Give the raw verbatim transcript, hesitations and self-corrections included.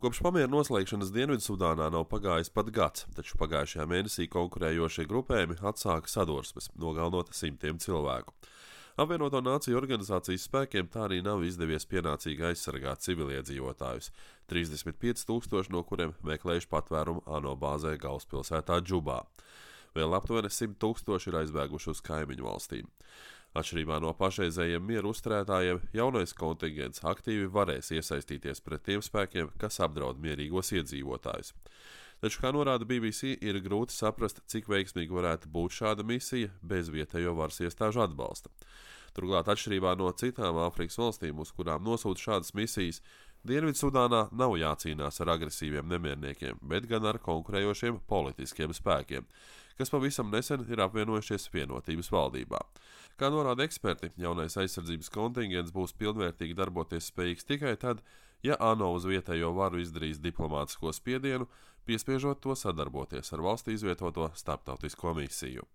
Kopš pamiera noslēgšanas Dienvidsudānā nav pagājis pat gads, taču pagājušajā mēnesī konkurējošie grupējumi atsāka sadursmes, nogalinot simtiem cilvēku. Apvienoto Nāciju organizācijas spēkiem tā arī nav izdevies pienācīgi aizsargāt civiliedzīvotājus, trīsdesmit pieci tūkstoši no kuriem meklējuši patvērumu ANO bāzē galvaspilsētā Džubā. Vēl aptuveni simt tūkstoši ir aizbēguši uz kaimiņu valstīm. Atšķirībā no pašreizējiem mieru uzturētājiem, jaunais kontingents aktīvi varēs iesaistīties pret tiem spēkiem, kas apdraud mierīgos iedzīvotājus. Taču, kā norāda B B C, ir grūti saprast, cik veiksmīgi varētu būt šāda misija bez vietējo varas iestāžu atbalsta. Turklāt, atšķirībā no citām Āfrikas valstīm, uz kurām nosūta šādas misijas, Dienvidsudānā nav jācīnās ar agresīviem nemierniekiem, bet gan ar konkurējošiem politiskiem spēkiem, kas pavisam nesen ir apvienojušies vienotības valdībā. Kā norāda eksperti, jaunais aizsardzības kontingents būs pilnvērtīgi darboties spējīgs tikai tad, ja ANO uz vietējo varu izdarīs diplomātisko spiedienu, piespiežot to sadarboties ar valstī izvietoto starptautisko misiju.